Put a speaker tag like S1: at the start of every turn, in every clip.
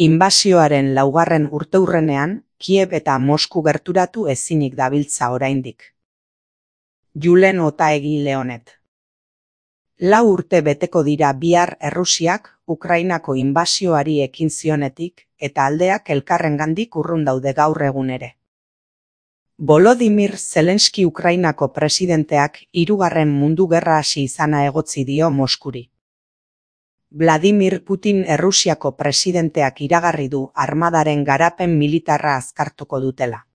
S1: Inbasioaren 4. urteurrenean, Kiev eta Mosku gerturatu ezinik dabiltza oraindik. Julen Otaegi Leonet. 4 urte beteko dira bihar Errusiak Ukrainako inbasioari ekin zionetik eta aldeak elkarrengandik urrun daude gaur egun ere. Volodymyr Zelenski Ukrainako presidenteak 3. mundu gerra hasi izana egotzi dio Moskuri. Vladimir Putin Errusiako presidenteak iragarri du armadaren garapen militarra azkartuko dutela.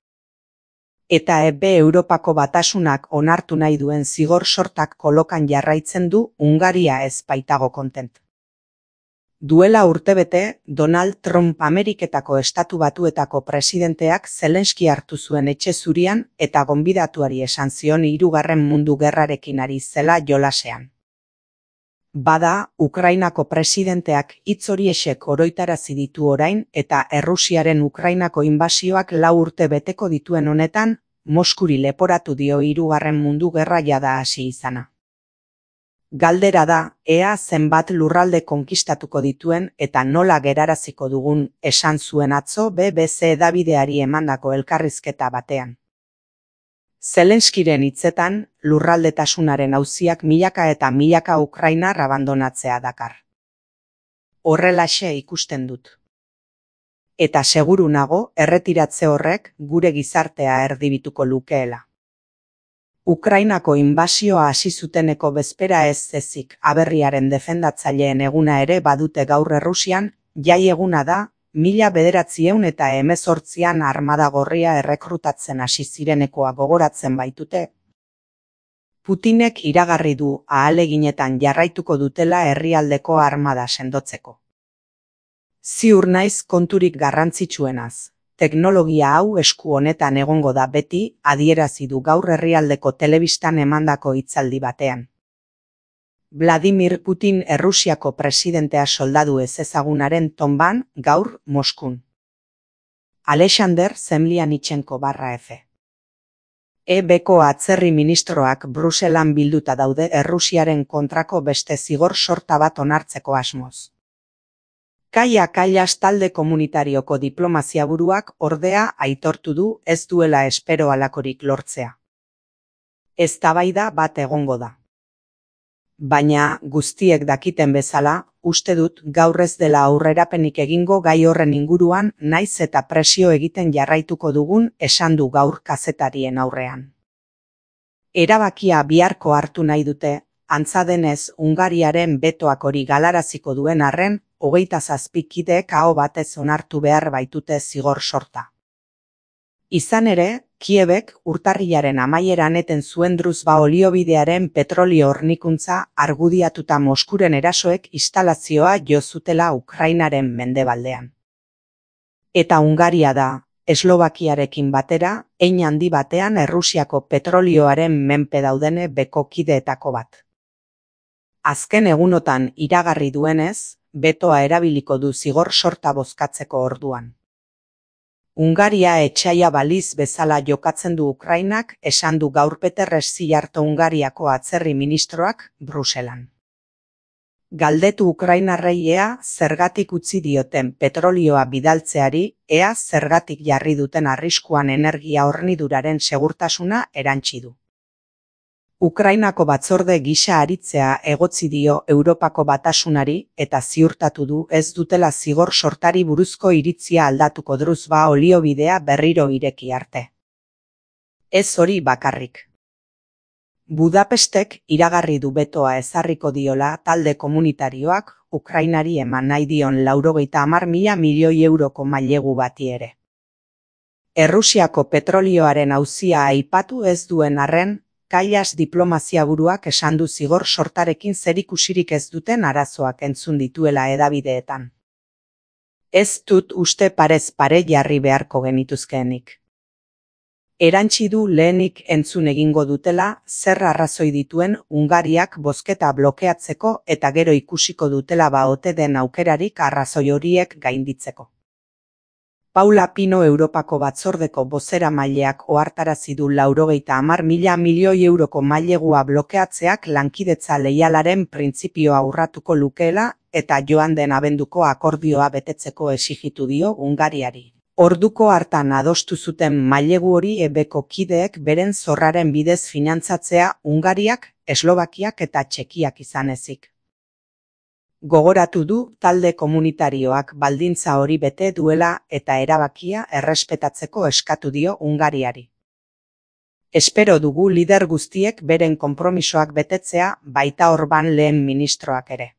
S1: Eta Europako Batasunak onartu nahi duen zigor sortak kolokan jarraitzen du Hungaria ez baitago kontent. Duela urtebete, Donald Trump Ameriketako Estatu Batuetako presidenteak Zelenski hartu zuen etxe zurian eta gonbidatuari esan zion 3. mundu gerrarekin ari zela jolasean. Bada, Ukrainako presidenteak hitz horiexek oroitarazi ditu orain eta Errusiaren Ukrainako inbasioak 4 urte beteko dituen honetan, Moskuri leporatu dio 3. mundu gerra jada hasi izana. Galdera da, ea zenbat lurralde konkistatuko dituen eta nola geraraziko dugun, esan zuen atzo BBC hedabideari emandako elkarrizketa batean. Zelenskiren hitzetan, lurraldetasunaren auziak milaka eta milaka ukrainar abandonatzea dakar. Horrelaxe ikusten dut. Eta seguru nago, erretiratze horrek gure gizartea erdibituko lukeela. Ukrainako inbasioa hasi zuteneko bezpera ez ezik aberriaren defendatzaileen eguna ere badute gaur Errusian, jai eguna da, 1918an armada gorria errekrutatzen hasi zirenekoa gogoratzen baitute. Putinek iragarri du ahaleginetan jarraituko dutela herrialdeko armada sendotzeko. Ziur naiz konturik garrantzitsuenaz. Teknologia hau esku honetan egongo da beti, adierazi du gaur herrialdeko telebistan emandako hitzaldi batean. Vladimir Putin Errusiako presidentea soldadu ezezagunaren tonban gaur Moskun. Alexander Zemlyanichenko /F. EBko atzerri ministroak Bruselan bilduta daude Errusiaren kontrako beste zigor sorta bat onartzeko asmoz. Kaia Kallas talde komunitarioko diplomazia buruak ordea aitortu du ez duela espero halakorik lortzea. Eztabaida bat egongo da. Baina, guztiek dakiten bezala, uste dut gaur ez dela aurrerapenik egingo gai horren inguruan naiz eta presio egiten jarraituko dugun esan du gaur kazetarien aurrean. Erabakia biharko hartu nahi dute, antza denez Hungariaren betoak hori galaraziko duen arren, 27 kideek aho batez onartu behar baitute zigor sorta. Izan ere, Kiebek urtarrilaren amaieran eten zuen Druzhba oliobidearen petrolio hornikuntza argudiatuta Moskuren erasoek instalazioa jo zutela Ukrainaren mendebaldean. Eta Hungaria da, Eslovakiarekin batera, hein handi batean Errusiako petrolioaren menpe daudene beko kideetako bat. Azken egunotan iragarri duenez, betoa erabiliko du zigor sorta bozkatzeko orduan. Hungaria etsaia baliz bezala jokatzen du Ukrainak, esan du gaur Peter Szijjártó Hungariako atzerri ministroak Bruselan. Galdetu ukrainarrei ea zergatik utzi dioten petrolioa bidaltzeari, ea zergatik jarri duten arriskuan energia horniduraren segurtasuna erantsi du. Ukrainako batzorde gisa aritzea egotzi dio Europako Batasunari eta ziurtatu du ez dutela zigor sortari buruzko iritzia aldatuko Druzhba oliobidea berriro ireki arte. Ez hori bakarrik. Budapestek iragarri du betoa ezarriko diola talde komunitarioak Ukrainari eman nahi dion 90.000 milioi euroko mailegu bati ere. Errusiako petrolioaren auzia aipatu ez duen arren, Kallas diplomazia buruak esan du zigor sortarekin zerikusirik ez duten arazoak entzun dituela hedabideetan. Ez dut uste parez pare jarri beharko genituzkeenik. Erantsi du lehenik entzun egingo dutela zer arrazoi dituen Hungariak bozketa blokeatzeko eta gero ikusiko dutela ote den aukerarik arrazoi horiek gainditzeko. Paula Pino Europako batzordeko bozeramaileak ohartarazi du 90.000 milioi euroko mailegua blokeatzeak lankidetza leialaren printzipioa urratuko lukeela eta joan den abenduko akordioa betetzeko exigitu dio Hungariari. Orduko hartan adostu zuten mailegu hori ebeko kideek beren zorraren bidez finantzatzea Hungariak, Eslovakiak eta Txekiak izan ezik. Gogoratu du talde komunitarioak baldintza hori bete duela eta erabakia errespetatzeko eskatu dio Hungariari. Espero dugu lider guztiek beren konpromisoak betetzea, baita Orban lehen ministroak ere.